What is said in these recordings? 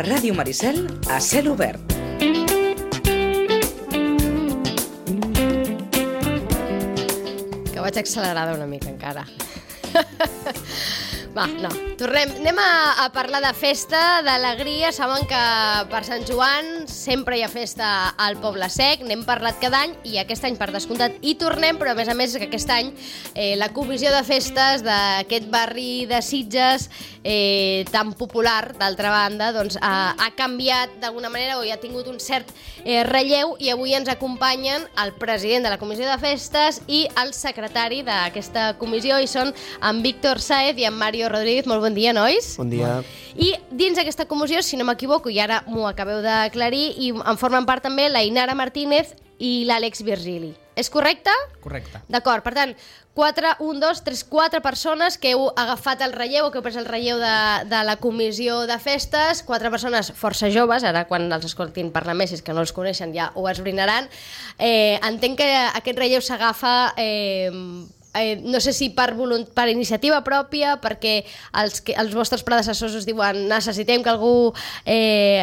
Ràdio Maricel a cel obert. Que vaig accelerada una mica encara. Va, no, tornem. Anem a parlar de festa, d'alegria. Saben que per Sant Joan sempre hi ha festa al Poble Sec. N'hem parlat cada any i aquest any, per descomptat, hi tornem, però a més que aquest any la comissió de festes d'aquest barri de Sitges tan popular, d'altra banda, doncs ha canviat d'alguna manera o ja ha tingut un cert relleu, i avui ens acompanyen el president de la comissió de festes i el secretari d'aquesta comissió, i són en Víctor Sáez i en Mario Rodríguez. Molt bon dia, nois. Bon dia. I dins d'aquesta comissió, si no m'equivoco, i ara m'ho acabeu d'aclarir, i en formen part també la Inara Martínez i l'Àlex Virgili. És correcte? Correcte. D'acord, per tant, 4 persones que heu agafat el relleu o que heu pres el relleu de la comissió de festes, 4 persones força joves, ara quan els escoltin parlar més, és que no els coneixen, ja ho esbrinaran. Entenc que aquest relleu s'agafa... no sé si per iniciativa pròpia, perquè els vostres predecessors us diuen necessitem que algú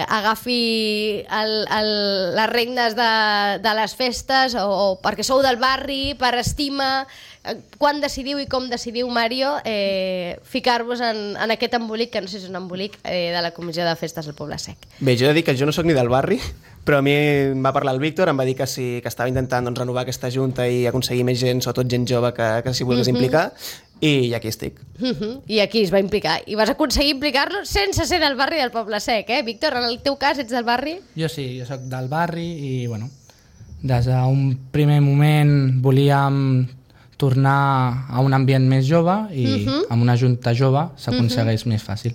agafi les regnes de les festes, o perquè sou del barri, per estima. Quan decidiu i com decidiu, Mario, ficar-vos en aquest embolic, que no sé si és un embolic, de la comissió de festes del Poble Sec? Bé, jo he de dir que jo no sóc ni del barri, però a mi em va parlar el Víctor, em va dir que sí, que estava intentant renovar aquesta junta i aconseguir més gent, sobretot gent jove, que s'hi volgués implicar, i aquí estic. I aquí es va implicar. I vas aconseguir implicar-lo sense ser del barri del Poble Sec, eh? Víctor, en el teu cas, ets del barri? Jo sí, jo sóc del barri i, bueno, des d'un primer moment volíem tornar a un ambient més jove i amb una junta jove s'aconsegueix més fàcil.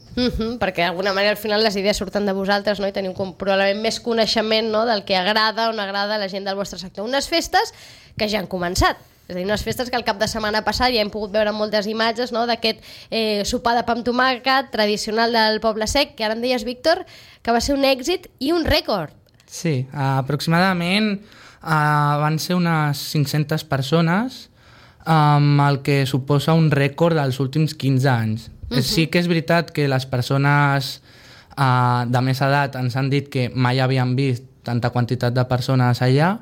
Perquè d'alguna manera al final les idees surten de vosaltres, no? I teniu probablement més coneixement, no?, del que agrada o no agrada a la gent del vostre sector. Unes festes que ja han començat. És a dir, unes festes que el cap de setmana passat ja hem pogut veure moltes imatges, no?, d'aquest sopar de pa amb tomàquet tradicional del Poble Sec, que ara em deies, Víctor, que va ser un èxit i un rècord. Sí, aproximadament van ser unes 500 persones, el que suposa un rècord dels últims 15 anys. Sí que és veritat que les persones de més edat ens han dit que mai havien vist tanta quantitat de persones allà,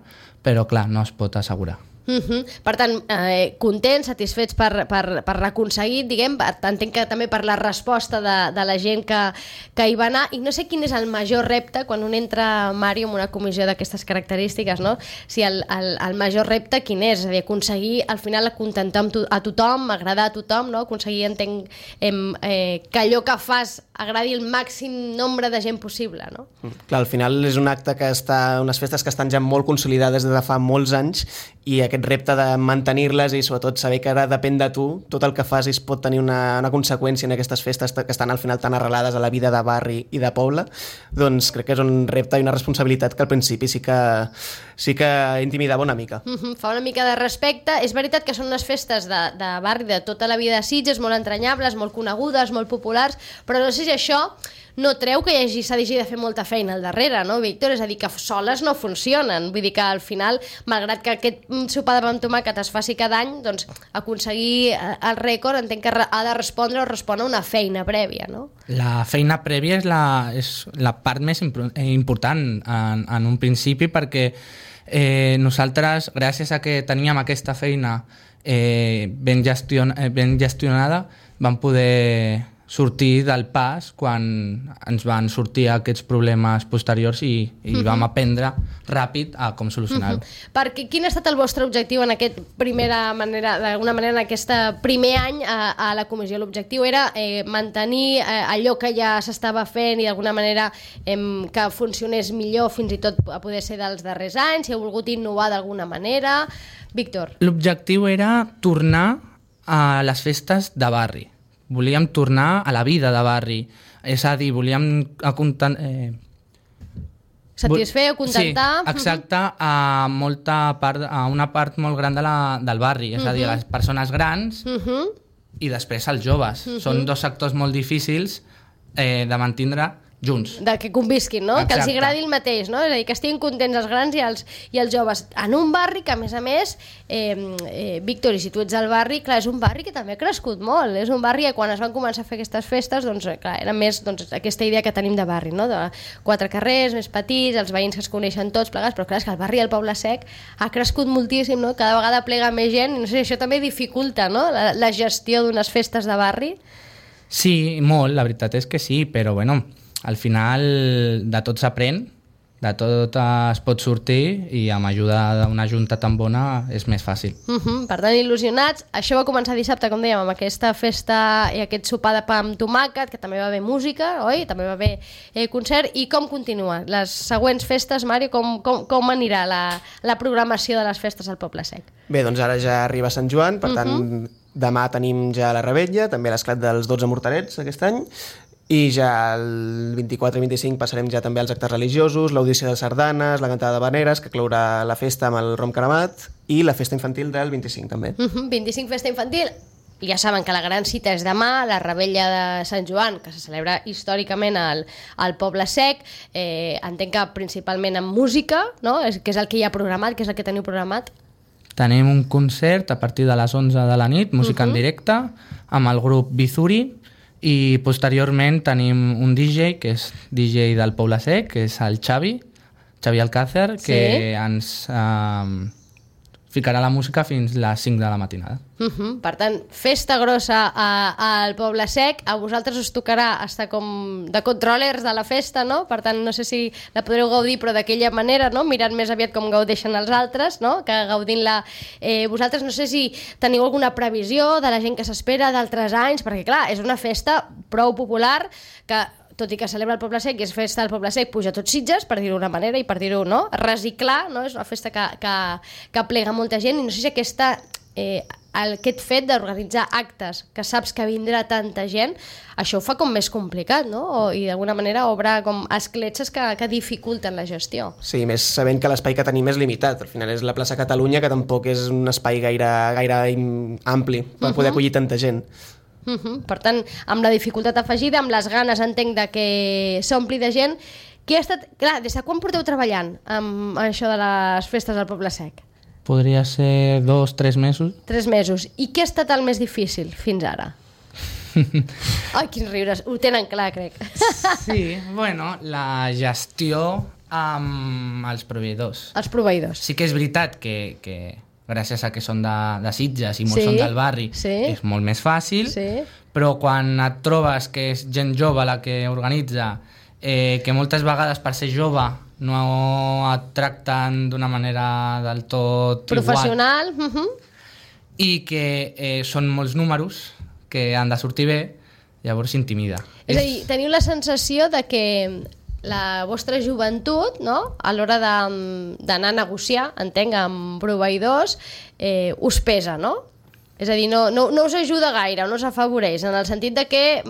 però clar, no es pot assegurar. Per tant, contents, satisfets per l'aconseguit, diguem, entenc que també per la resposta de la gent que hi va anar, i no sé quin és el major repte quan un entra, Mario, en una comissió d'aquestes característiques, no? Si el major repte quin és? És a dir, aconseguir al final acontentar a tothom, agradar a tothom, no? Aconseguir, entenc, que allò que fas agradi el màxim nombre de gent possible, no? Clar, al final és un acte que unes festes que estan ja molt consolidades des de fa molts anys, i aquest repte de mantenir-les i sobretot saber que ara depèn de tu, tot el que fas pot tenir una conseqüència en aquestes festes que estan al final tan arrelades a la vida de barri i de poble, doncs crec que és un repte i una responsabilitat que al principi sí que intimidava una mica. Fa una mica de respecte. És veritat que són unes festes de barri de tota la vida de Sitges, molt entranyables, molt conegudes, molt populars, però no sé si això no treu que s'hagi de fer molta feina al darrere, no, Víctor? És a dir, que soles no funcionen. Vull dir que al final, malgrat que aquest sopar de pa amb tomàquet es faci cada any, doncs aconseguir el rècord entenc que ha de respondre a una feina prèvia, no? La feina prèvia és la part més important en un principi, perquè nosaltres, gràcies a que teníem aquesta feina ben gestionada, vam poder sortir del pas quan ens van sortir aquests problemes posteriors i vam aprendre ràpid a com solucionar-ho. Perquè quin ha estat el vostre objectiu en aquest d'alguna manera en aquest primer any a la comissió? L'objectiu era mantenir allò que ja s'estava fent i d'alguna manera que funcionés millor, fins i tot a poder ser dels darrers anys, si heu volgut innovar d'alguna manera. Víctor. L'objectiu era tornar a les festes de barri. Volíem tornar a la vida de barri, és a dir, volíem satisfer o contentar... Sí, exacte, a una part molt gran del barri, és a dir, les persones grans i després els joves. Són dos sectors molt difícils de mantindre junts. De que convisquin, no? Exacte. Que els agradi el mateix, no? És a dir, que estiguin contents els grans i els joves. En un barri que, a més, Víctor, i si tu ets al barri, clar, és un barri que també ha crescut molt. És un barri que quan es van començar a fer aquestes festes, doncs, clar, era més aquesta idea que tenim de barri, no? De 4 carrers, més petits, els veïns que es coneixen tots plegats, però clar, és que el barri del Poble Sec ha crescut moltíssim, no? Cada vegada plega més gent, i no sé, això també dificulta, no? La gestió d'unes festes de barri. Sí, molt, la veritat és que sí, però bueno, al final de tot s'aprèn, de tot es pot sortir i amb ajuda d'una junta tan bona és més fàcil. Per tant, il·lusionats. Això va començar dissabte, com dèiem, amb aquesta festa i aquest sopar de pa amb tomàquet, que també va haver música, oi? També va haver concert. I com continua? Les següents festes, Mario, com anirà la programació de les festes al Poble Sec? Bé, doncs ara ja arriba Sant Joan, per tant, demà tenim ja la Revetlla, també l'esclat dels 12 morterets aquest any, i ja el 24 i 25 passarem ja també als actes religiosos, l'audició de sardanes, la cantada de veneres, que clourà la festa amb el rom cremat, i la festa infantil del 25 també. 25 festa infantil. Ja saben que la gran cita és demà, la Revetlla de Sant Joan, que se celebra històricament al Poble Sec. Entenc que principalment amb música, no? Que és el que hi ha programat, que és el que teniu programat. Tenim un concert a partir de les 11 de la nit, música en directe, amb el grup Bizuri, i posteriorment tenim un DJ, que és DJ del Poble Sec, que és el Xavi Alcácer, que ens ficarà la música fins a les 5 de la matinada. Per tant, festa grossa al Poble Sec. A vosaltres us tocarà estar com de controlers de la festa, no? Per tant, no sé si la podreu gaudir, però d'aquella manera, no? Mirant més aviat com gaudeixen els altres, no? Que gaudint-la vosaltres. No sé si teniu alguna previsió de la gent que s'espera d'altres anys, perquè clar, és una festa prou popular que, tot i que celebra el Poble Sec i és festa del Poble Sec, puja tot Sitges, per dir-ho d'una manera, i per dir-ho, no? Reciclar, no? És una festa que plega molta gent, i no sé si aquest fet d'organitzar actes que saps que vindrà tanta gent, això ho fa com més complicat, no? I d'alguna manera obre com escletxes que dificulten la gestió. Sí, més sabent que l'espai que tenim és limitat. Al final és la plaça Catalunya, que tampoc és un espai gaire ampli per poder acollir tanta gent. Per tant, amb la dificultat afegida, amb les ganes, entenc, de que s'ompli de gent. Clar, des de quan porteu treballant amb això de les festes al Poble Sec? Podria ser 2-3 mesos. 3 mesos. I què ha estat el més difícil fins ara? Ai, quins riures. Ho tenen clar, crec. Sí, bueno, la gestió amb els proveïdors. Els proveïdors. Sí que és veritat que gràcies a que són de Sitges i molts són del barri, és molt més fàcil, però quan et trobes que és gent jove la que organitza, que moltes vegades per ser jove no et tracten d'una manera del tot professional, i que són molts números que han de sortir bé, llavors s'intimida. És a dir, teniu la sensació de que la vostra joventut, no? A l'hora d'anar a negociar, entenc, amb proveïdors, us pesa, no? És a dir, no us ajuda gaire, no us afavoreix, en el sentit de que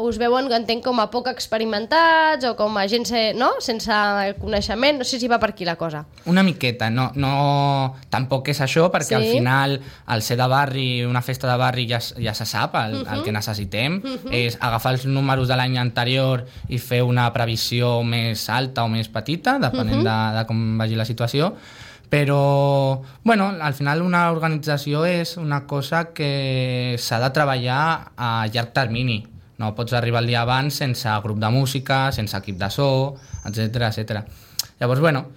us veuen, entenc, com a poc experimentats o com a gent sense coneixement. No sé si va per aquí la cosa. Una miqueta, tampoc és això, perquè al final, al ser de barri, una festa de barri ja se sap, el que necessitem és agafar els números de l'any anterior i fer una previsió més alta o més petita, depenent de com vagi la situació. Però, bueno, al final una organització és una cosa que s'ha de treballar a llarg termini. No pots arribar el dia abans sense grup de música, sense equip de so, etc. Llavors, bueno,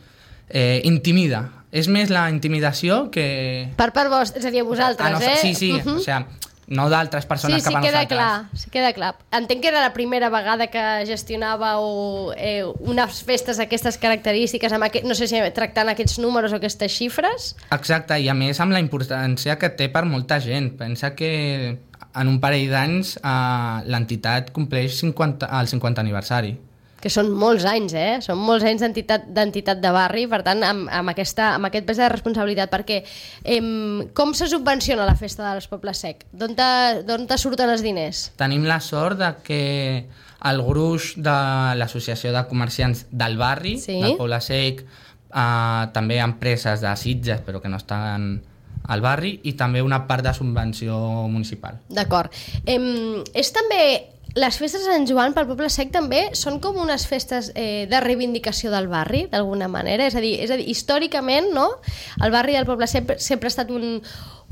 intimida. És més la intimidació que... Per part vostra, és a dir, a vosaltres, Sí, o sigui, no d'altres persones cap a nosaltres. Sí, queda clar. Entenc que era la primera vegada que gestionàveu unes festes d'aquestes característiques, no sé si tractant aquests números o aquestes xifres. Exacte, i a més amb la importància que té per molta gent. Pensa que en un parell d'anys l'entitat compleix el 50 aniversari. Que són molts anys, Són molts anys d'entitat de barri, per tant, amb aquest pes de responsabilitat, perquè com se subvenciona la festa dels Pobles Sec? D'on te surten els diners? Tenim la sort de que el gruix de l'Associació de Comerciants del Barri, del Poble Sec, també empreses de Sitges, però que no estan al barri, i també una part de subvenció municipal. D'acord. És també les festes de Sant Joan pel Poble Sec també són com unes festes de reivindicació del barri, d'alguna manera. És a dir, històricament, no? El barri del Poble Sec sempre ha estat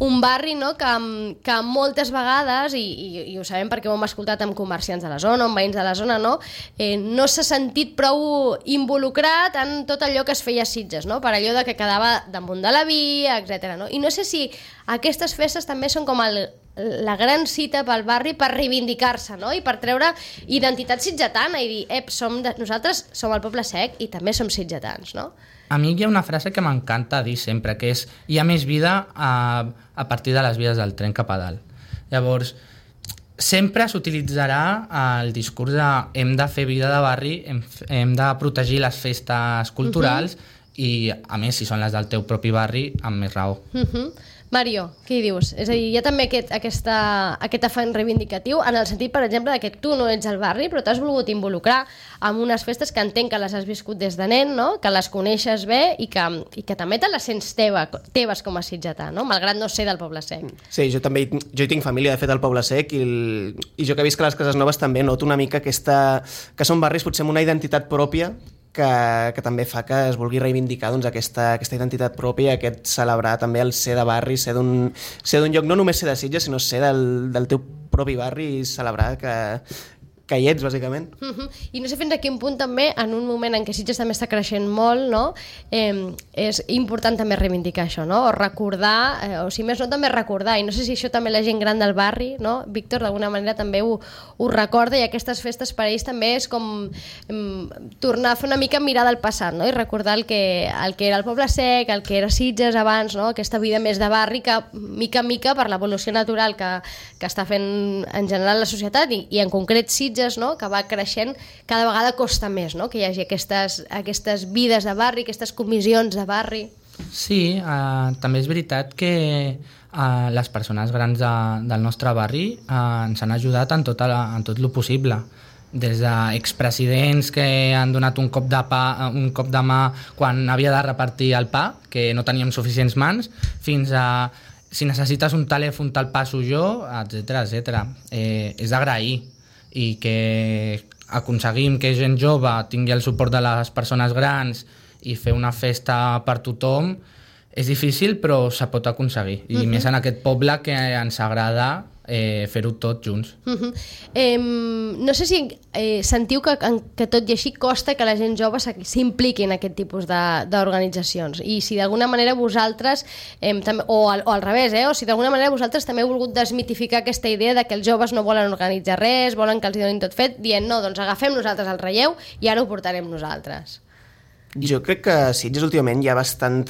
un barri, no? que moltes vegades, i ho sabem perquè ho hem escoltat amb comerciants de la zona, amb veïns de la zona, no s'ha sentit prou involucrat en tot allò que es feia a Sitges, no? Per allò de que quedava damunt de la via, etc. No? I no sé si aquestes festes també són com la gran cita pel barri per reivindicar-se, no? I per treure identitat sitgetana i dir, nosaltres som el Poble Sec i també som sitgetans, no? A mi hi ha una frase que m'encanta dir sempre, que és hi ha més vida a partir de les vies del tren cap a dalt. Llavors, sempre s'utilitzarà el discurs de hem de fer vida de barri, hem de protegir les festes culturals i, a més, si són les del teu propi barri, amb més raó. Mario, què hi dius? És a dir, hi ha també aquest afany reivindicatiu en el sentit, per exemple, que tu no ets al barri però t'has volgut involucrar en unes festes que entenc que les has viscut des de nen, no? Que les coneixes bé i que també te les sents teves com a sitgetà, no? Malgrat no ser del Poble Sec. Sí, jo hi tinc família, de fet, al Poble Sec i jo que visc a les Cases Noves també noto una mica que són barris potser amb una identitat pròpia que també fa que es vulgui reivindicar doncs, aquesta identitat pròpia, aquest celebrar també el ser de barri, ser d'un lloc, no només ser de Sitges, sinó ser del teu propi barri i celebrar que hi ets, bàsicament. I no sé fins a quin punt també, en un moment en què Sitges també està creixent molt, no? És important també reivindicar això, no? O recordar, o si més no també recordar, i no sé si això també la gent gran del barri, no? Víctor, d'alguna manera també ho recorda, i aquestes festes per a ells també és com tornar a fer una mica mirar del passat, no? I recordar el que era el Poble Sec, el que era Sitges abans, no? Aquesta vida més de barri que mica en mica per l'evolució natural que està fent en general la societat i en concret Sitges, no? Que va creixent, cada vegada costa més, no? Que hi hagi aquestes vides de barri, aquestes comissions de barri. Sí, també és veritat que les persones grans del nostre barri ens han ajudat en tot el possible. Des d'expresidents que han donat un cop de mà quan havia de repartir el pa, que no teníem suficients mans, fins a si necessites un telèfon te'l passo jo, etc. És d'agrair i que aconseguim que gent jove tingui el suport de les persones grans i fer una festa per tothom és difícil, però se pot aconseguir. I més en aquest poble que ens agrada fer-ho tot junts. No sé si sentiu que tot i així costa que la gent jove s'impliqui en aquest tipus d'organitzacions, i si d'alguna manera vosaltres o al revés, o si d'alguna manera vosaltres també heu volgut desmitificar aquesta idea de que els joves no volen organitzar res, volen que els donin tot fet, dient no, doncs agafem nosaltres el relleu i ara ho portarem nosaltres. Jo crec que a Sitges últimament hi ha bastant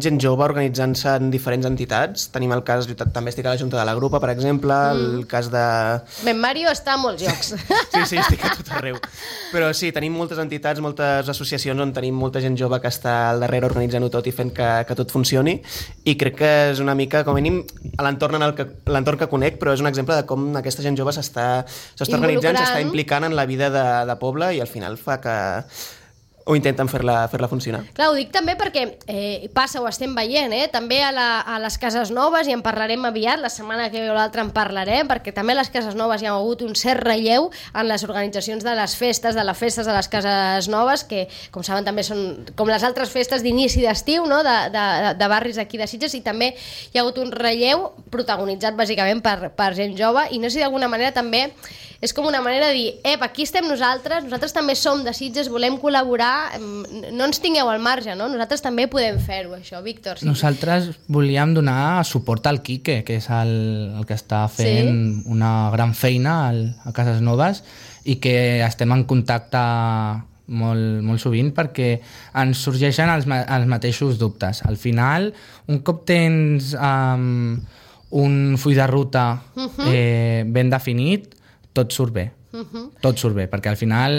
gent jove organitzant-se en diferents entitats. Tenim el cas, també estic a la Junta de la Grupa, per exemple, el cas de... Ben Mario està a molts llocs. Sí, estic a tot arreu. Però sí, tenim moltes entitats, moltes associacions on tenim molta gent jove que està al darrere organitzant-ho tot i fent que tot funcioni, i crec que és una mica, com a mínim, a l'entorn que conec, però és un exemple de com aquesta gent jove s'està organitzant, s'està implicant en la vida de poble i al final fa que... o intenten fer-la funcionar. Clar, ho dic també perquè passa, ho estem veient, també a les Cases Noves, i en parlarem aviat, la setmana que ve o l'altra en parlarem, perquè també a les Cases Noves hi ha hagut un cert relleu en les organitzacions de les festes de les Cases Noves, que, com saben, també són com les altres festes d'inici d'estiu, no? de barris aquí de Sitges, i també hi ha hagut un relleu protagonitzat bàsicament per gent jove, i no sé si d'alguna manera també és com una manera de dir, aquí estem nosaltres també som de Sitges, volem col·laborar, no ens tingueu al marge, no? Nosaltres també podem fer-ho, això, Víctor. Sí. Nosaltres volíem donar suport al Quique, que és el que està fent una gran feina a Cases Noves, i que estem en contacte molt sovint perquè ens sorgeixen els mateixos dubtes. Al final, un cop tens un full de ruta ben definit, tot surt bé. Tot surt bé, perquè al final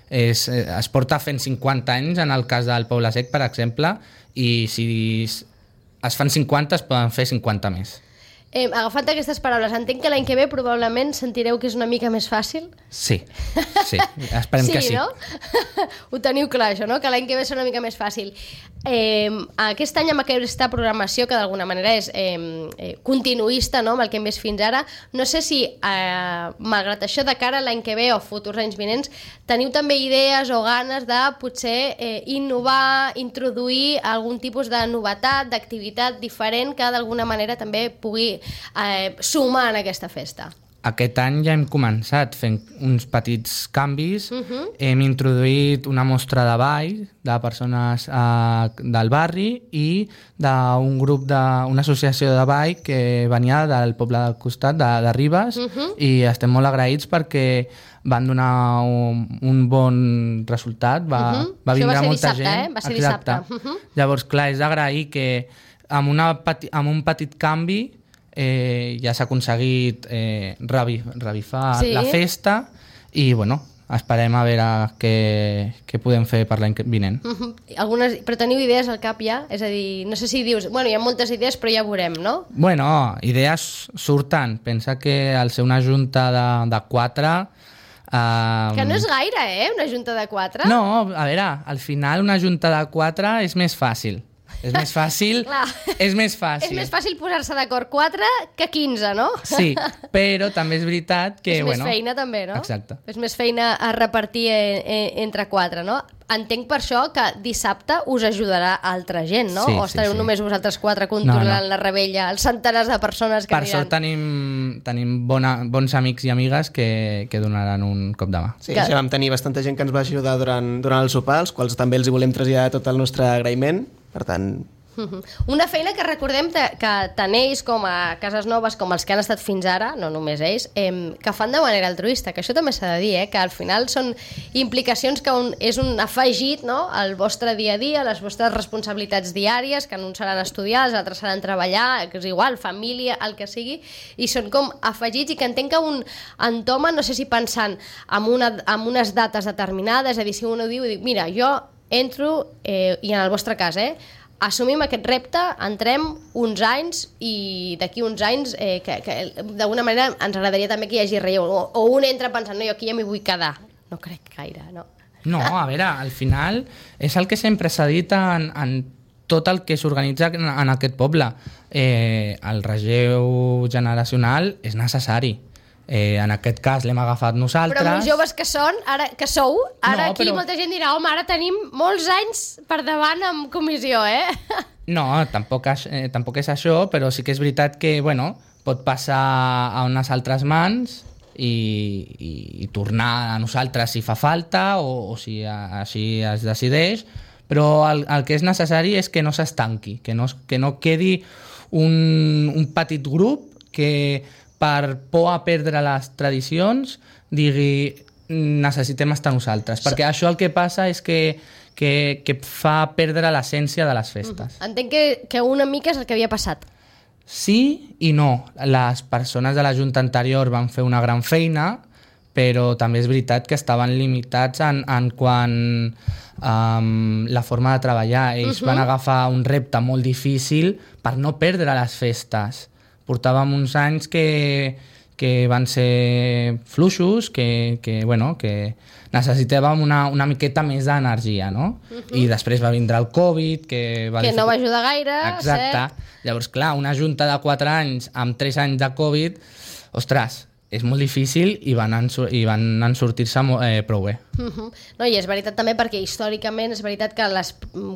es porta fent 50 anys en el cas del Poble Sec, per exemple, i si es fan 50 es poden fer 50 més. Agafant aquestes paraules, entenc que l'any que ve probablement sentireu que és una mica més fàcil? Sí, esperem que sí. Sí, no? Ho teniu clar, això, no? Que l'any que ve serà una mica més fàcil. Aquest any amb aquesta programació, que d'alguna manera és continuista, no?, amb el que hem vist fins ara, no sé si, malgrat això, de cara a l'any que ve o futurs anys vinents, teniu també idees o ganes de potser innovar, introduir algun tipus de novetat, d'activitat diferent que d'alguna manera també pugui sumar en aquesta festa. Aquest any ja hem començat fent uns petits canvis. Hem introduït una mostra de ball de persones del barri i d'un grup d'una associació de ball que venia del poble del costat, de Ribes, i estem molt agraïts perquè van donar un bon resultat. Va vindre molta gent. Va ser dissabte. Llavors, clar, és d'agrair que amb un petit canvi ja s'ha aconseguit revifar la festa i, bueno, esperem a veure què podem fer per l'any vinent. Però teniu idees al cap ja? És a dir, no sé si dius, bueno, hi ha moltes idees però ja veurem, no? Bueno, idees surten. Pensa que al ser una junta de 4... Que no és gaire, una junta de 4? No, a veure, al final una junta de 4 és més fàcil. És més fàcil. És més fàcil posar-se d'acord 4 que 15, no? Sí, però també és veritat que... És més feina també, no? Exacte. És més feina a repartir entre 4, no? Entenc per això que dissabte us ajudarà altra gent, no? Sí, o estareu només vosaltres 4 controlant la rebella, els centenars de persones que aniran. Per sort tenim bons amics i amigues que donaran un cop de mà. Sí, ja vam tenir bastanta gent que ens va ajudar durant el sopar, als quals també els hi volem traslladar tot el nostre agraïment. Per tant... Una feina que recordem que tant ells com a Cases Noves, com els que han estat fins ara, no només ells, que fan de manera altruista, que això també s'ha de dir, que al final són implicacions que és un afegit, no?, al vostre dia a dia, a les vostres responsabilitats diàries, que en uns seran estudiar, els altres seran treballar, que és igual, família, el que sigui, i són com afegits, i que entenc que un entoma, no sé si pensant en unes dates determinades, és a dir, si un ho diu, mira, jo entro, i en el vostre cas, assumim aquest repte, entrem uns anys i d'aquí uns anys que d'alguna manera ens agradaria també que hi hagi relleu, o un entra pensant, no, jo aquí ja m'hi vull quedar. No crec gaire, no? No, a veure, al final és el que sempre s'ha dit en tot el que s'organitza en aquest poble. El relleu generacional és necessari. En aquest cas l'hem agafat nosaltres. Però amb joves que sou, ara aquí però... molta gent dirà, home, ara tenim molts anys per davant amb comissió, No, tampoc és això, però sí que és veritat que, bueno, pot passar a unes altres mans i tornar a nosaltres si fa falta o si així es decideix, però el que és necessari és que no s'estanqui, que no quedi un petit grup que per por a perdre les tradicions digui necessitem estar nosaltres, perquè això el que passa és que fa perdre l'essència de les festes. Entenc que una mica és el que havia passat. Sí i no. Les persones de la Junta anterior van fer una gran feina, però també és veritat que estaven limitats en quant la forma de treballar. Ells van agafar un repte molt difícil per no perdre les festes. Portàvem uns anys que van ser fluixos, que necessitàvem una miqueta més d'energia, no? I després va vindre el Covid, que no va ajudar gaire. Exacte. Llavors, clar, una junta de 4 anys amb 3 anys de Covid, ostres, és molt difícil i van sortir-se prou bé. No, i és veritat també perquè històricament és veritat que les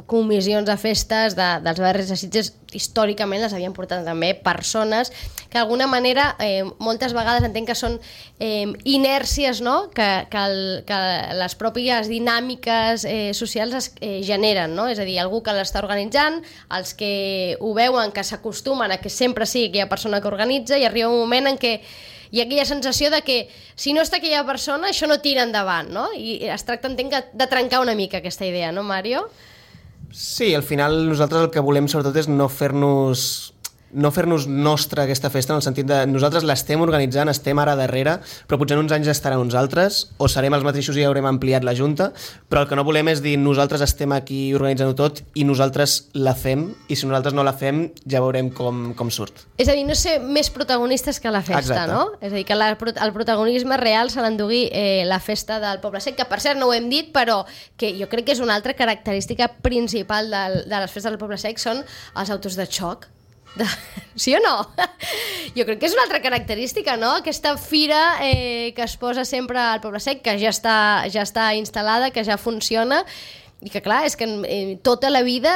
comissions de festes dels barris de Sitges històricament les havien portat també persones que d'alguna manera moltes vegades entenc que són inèrcies, no?, que les pròpies dinàmiques socials es generen, no? És a dir, algú que l'està organitzant, els que ho veuen, que s'acostumen a que sempre sigui aquella persona que organitza, i arriba un moment en què hi ha aquella sensació de que si no està aquella persona això no tira endavant, no? I es tracta, entenc, de trencar una mica aquesta idea, no, Mario? Sí, al final nosaltres el que volem sobretot és no fer-nos no fer-nos nostra aquesta festa, en el sentit de nosaltres l'estem organitzant, estem ara darrere, però potser en uns anys estaran uns altres, o serem els mateixos i haurem ampliat la Junta, però el que no volem és dir nosaltres estem aquí organitzant-ho tot i nosaltres la fem, i si nosaltres no la fem ja veurem com surt. És a dir, no ser més protagonistes que la festa, Exacte. no? És a dir, que el protagonisme real se l'endugui la festa del Poble Sec, que per cert no ho hem dit, però que jo crec que és una altra característica principal de les festes del Poble Sec, són els autos de xoc. Sí o no? Jo crec que és una altra característica, no? Aquesta fira que es posa sempre al Poble Sec, que ja està instal·lada, que ja funciona, i que clar, és que tota la vida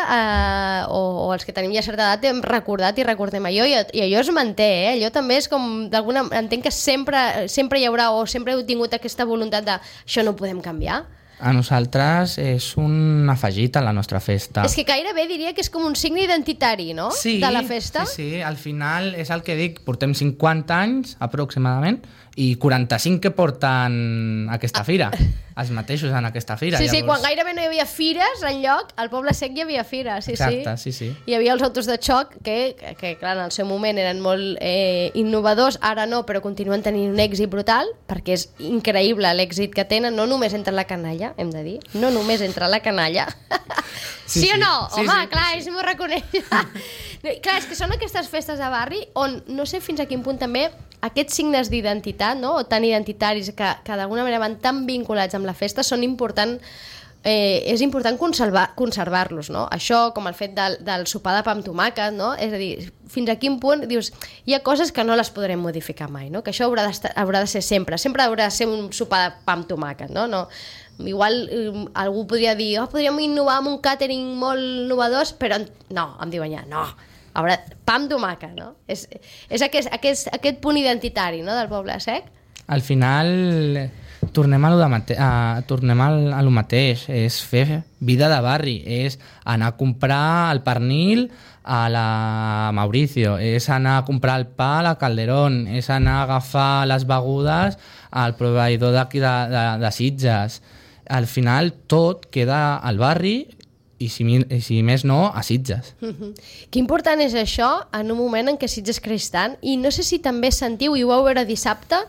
o els que tenim ja certa edat hem recordat i recordem allò, i allò es manté, allò també és com entenc que sempre hi haurà, o sempre heu tingut aquesta voluntat de això no ho podem canviar. A nosaltres és un afegit a la nostra festa. És que gairebé diria que és com un signe identitari, no? Sí, de la festa. Sí, al final és el que dic, portem 50 anys aproximadament i 45 que porten aquesta fira, els mateixos en aquesta fira. Sí, quan gairebé no hi havia fires enlloc, al Poble Sec hi havia fires, sí. Exacte, sí. Hi havia els autos de xoc que clar, en el seu moment eren molt innovadors, ara no, però continuen tenint un èxit brutal, perquè és increïble l'èxit que tenen, no només entre la canalla, hem de dir, no només entre la canalla. Sí o no? Sí, home, sí, clar, sí. ells m'ho reconeixen. Clar, és que són aquestes festes de barri on no sé fins a quin punt també aquests signes d'identitat, no? O tan identitaris que d'alguna manera van tan vinculats amb la festa són és important conservar-los, no? Això, com el fet del sopar de pa amb tomàquet, no? És a dir, fins a quin punt dius, hi ha coses que no les podrem modificar mai, no? Que això haurà de ser sempre haurà de ser un sopar de pa amb tomàquet, no? Igual algú podria dir, podríem innovar amb un càtering molt innovador, però no, em diuen ja, no, pa amb tomàquet, no? És aquest punt identitari, no?, del Poble Sec. Al final tornem a lo mateix, és fer vida de barri, és anar a comprar el pernil a la Mauricio, és anar a comprar el pa a la Calderón, és anar a agafar les begudes al proveïdor d'aquí de Sitges. Al final tot queda al barri i si més no, a Sitges. Que important és això en un moment en què Sitges creix tant, i no sé si també sentiu, i ho vau veure dissabte,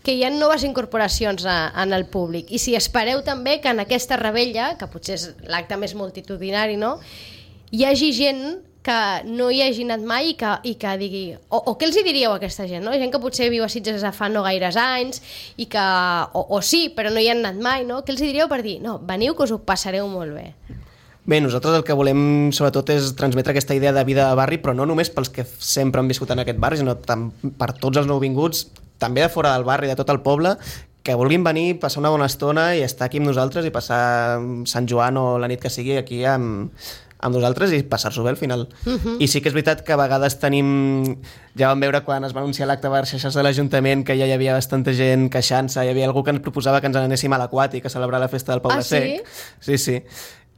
que hi ha noves incorporacions en el públic, i si espereu també que en aquesta revetlla, que potser és l'acte més multitudinari, no?, hi hagi gent que no hi hagi anat mai i que digui... O què els hi diríeu a aquesta gent, no? Gent que potser viu a Sitges des de fa no gaires anys i que... O sí, però no hi han anat mai, no? Què els hi diríeu per dir, no, veniu que us ho passareu molt bé? Bé, nosaltres el que volem sobretot és transmetre aquesta idea de vida de barri, però no només pels que sempre han viscut en aquest barri, sinó per tots els nouvinguts, també de fora del barri, de tot el poble, que vulguin venir, passar una bona estona i estar aquí amb nosaltres i passar Sant Joan o la nit que sigui aquí amb nosaltres i passar-s'ho bé al final. I sí que és veritat que a vegades tenim... Ja vam veure quan es va anunciar l'acte per xarxes de l'Ajuntament que ja hi havia bastanta gent queixant-se, hi havia algú que ens proposava que ens n'anéssim a l'Aquàtic a celebrar la festa del Poble Sec. Sí.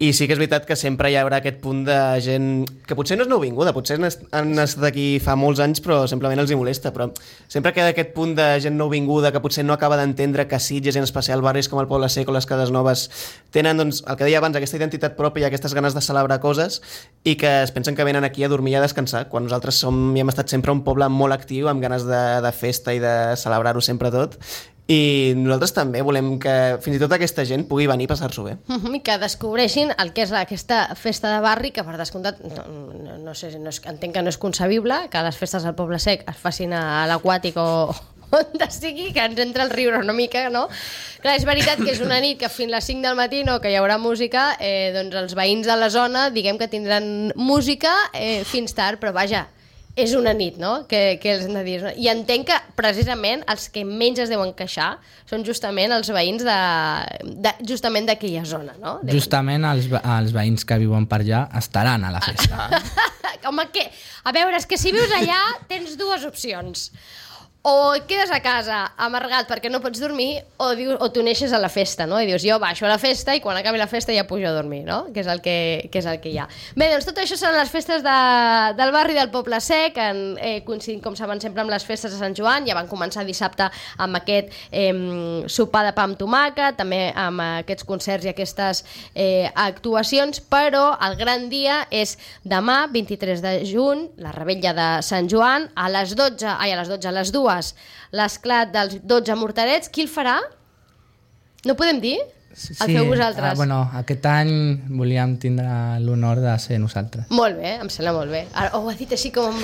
I sí que és veritat que sempre hi haurà aquest punt de gent que potser no és nouvinguda, potser han estat aquí fa molts anys però simplement els hi molesta, però sempre queda aquest punt de gent nouvinguda que potser no acaba d'entendre que Sitges, en especial barris com el Poble Sec o les Cases Noves, tenen, doncs, el que deia abans, aquesta identitat pròpia i aquestes ganes de celebrar coses i que es pensen que venen aquí a dormir i a descansar, quan nosaltres hem estat sempre un poble molt actiu, amb ganes de festa i de celebrar-ho sempre tot. I nosaltres també volem que fins i tot aquesta gent pugui venir a passar-s'ho bé. I que descobreixin el que és aquesta festa de barri, que per descomptat no sé, entenc que no és concebible que les festes del Poble Sec es facin a l'Aquàtic o on sigui, que ens entra el riure una mica, no? Clar, és veritat que és una nit que fins a les 5 del matí, no, que hi haurà música, doncs els veïns de la zona diguem que tindran música fins tard, però vaja, és una nit, no?, que els hem de dir. I entenc que, precisament, els que menys es deuen queixar són justament els veïns justament d'aquella zona, no? Justament els veïns que viuen per allà estaran a la festa. Home, a veure, és que si vius allà tens dues opcions. o et quedes a casa amargat perquè no pots dormir o t'uneixes a la festa, no? I dius, jo baixo a la festa i quan acabi la festa ja pujo a dormir, no? Que és el que hi ha. Bé, doncs tot això seran les festes del barri del Poble Sec, coincidint, com saben, sempre amb les festes de Sant Joan. Ja van començar dissabte amb aquest sopar de pa amb tomàquet, també amb aquests concerts i aquestes actuacions, però el gran dia és demà, 23 de juny, la revetlla de Sant Joan, a les 2, l'esclat dels 12 morterets. Qui el farà? No podem dir? Sí, el feu vosaltres? Bueno, aquest any volíem tindre l'honor de ser nosaltres. Molt bé, em sembla molt bé. Ara, ho ha dit així com...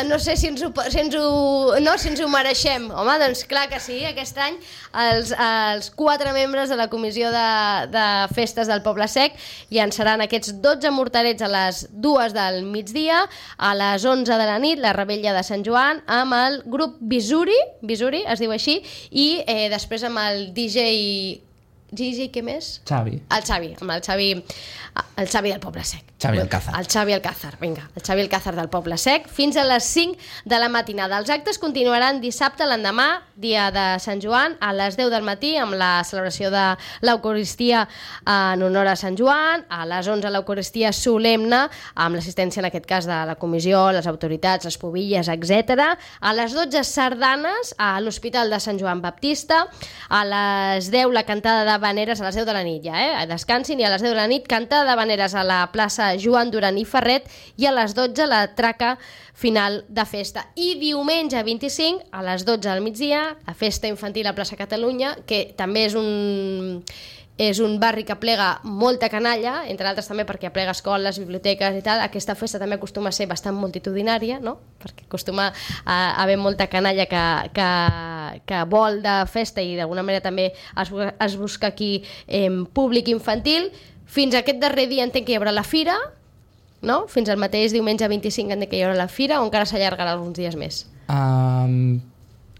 no sé si ens ho mereixem. Home, doncs clar que sí, aquest any els 4 membres de la comissió de festes del Poble Sec llançaran aquests 12 morterets a les 2 del migdia, a les 11 de la nit, la revetlla de Sant Joan, amb el grup Visuri es diu així, i després amb el DJ què més? Xavi. Amb el Xavi del Poble Sec. Xavi Alcázar. El Xavi Alcázar, vinga. El Xavi Alcázar del Poble Sec, fins a les 5 de la matinada. Els actes continuaran dissabte, l'endemà, dia de Sant Joan, a les 10 del matí, amb la celebració de l'Eucaristia en honor a Sant Joan, a les 11 l'Eucaristia solemne, amb l'assistència, en aquest cas, de la comissió, les autoritats, les pubilles, etc. A les 12 sardanes a l'Hospital de Sant Joan Baptista, a les 10 la cantada de Vaneres, a les 10 de la nit ja, descansin, i a les 10 de la nit cantada de Vaneres a la plaça Joan Duran i Ferret, i a les 12 la traca final de festa. I diumenge 25, a les 12 del migdia, la festa infantil a plaça Catalunya, que també és un barri que plega molta canalla, entre altres també perquè plega escoles, biblioteques i tal. Aquesta festa també acostuma a ser bastant multitudinària, no? Perquè acostuma a haver molta canalla que vol de festa, i d'alguna manera també es busca aquí públic infantil. Fins a aquest darrer dia entenc que hi haurà la fira, no? Fins al mateix diumenge 25 entenc que hi haurà la fira, o encara s'allargarà alguns dies més?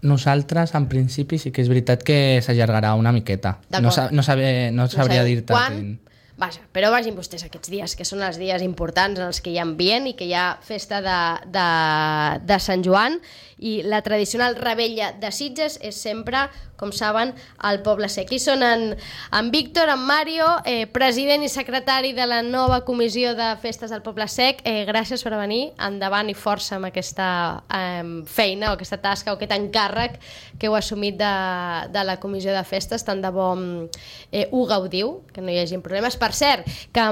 Nosaltres, en principi, sí que és veritat que s'allargarà una miqueta. No sabria dir-te quan. Vaja, però vagin vostès aquests dies, que són els dies importants en els que hi ha ambient i que hi ha festa de Sant Joan, i la tradicional revetlla de Sitges és sempre, com saben, al Poble Sec. I són en Víctor, en Mario, president i secretari de la nova comissió de festes del Poble Sec. Gràcies per venir, endavant i força amb aquesta feina o aquesta tasca o aquest encàrrec que heu assumit de la comissió de festes. Tant de bo ho gaudiu, que no hi hagi problemes. Per cert, que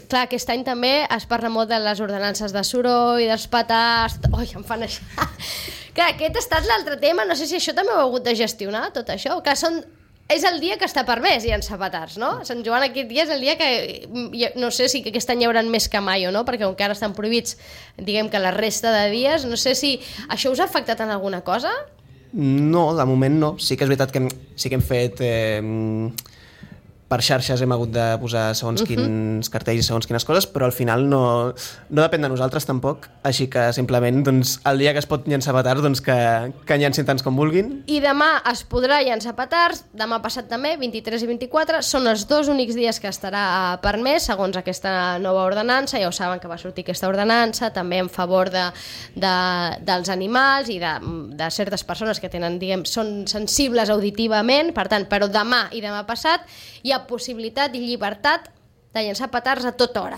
clar, aquest any també es parla molt de les ordenances de soroll, dels petards... Ui, em fan això... Clar, aquest ha estat l'altre tema, no sé si això també ho heu hagut de gestionar, tot això, que és el dia que està permès llançar petards, no? Sant Joan aquest dia és el dia que, no sé si aquest any hi haurà més que mai o no, perquè encara estan prohibits, diguem que la resta de dies, no sé si això us ha afectat en alguna cosa? No, de moment no. Sí que és veritat que sí que hem fet... per xarxes hem hagut de posar segons quins cartells i segons quines coses, però al final no depèn de nosaltres tampoc, així que simplement doncs, el dia que es pot llançar petards doncs, que llancin tants com vulguin. I demà es podrà llançar petards, demà passat també, 23 i 24, són els 2 únics dies que estarà permès, segons aquesta nova ordenança. Ja ho saben que va sortir aquesta ordenança, també en favor dels animals i de certes persones que tenen, diguem, són sensibles auditivament, per tant, però demà i demà passat hi ha possibilitat i llibertat de llançar petards a tota hora.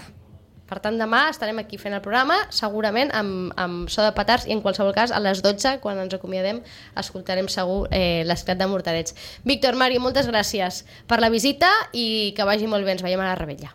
Per tant, demà estarem aquí fent el programa, segurament amb so de petards, i en qualsevol cas a les 12, quan ens acomiadem, escoltarem segur l'esclat de morterets. Víctor, Mario, moltes gràcies per la visita i que vagi molt bé. Ens veiem a la revetlla.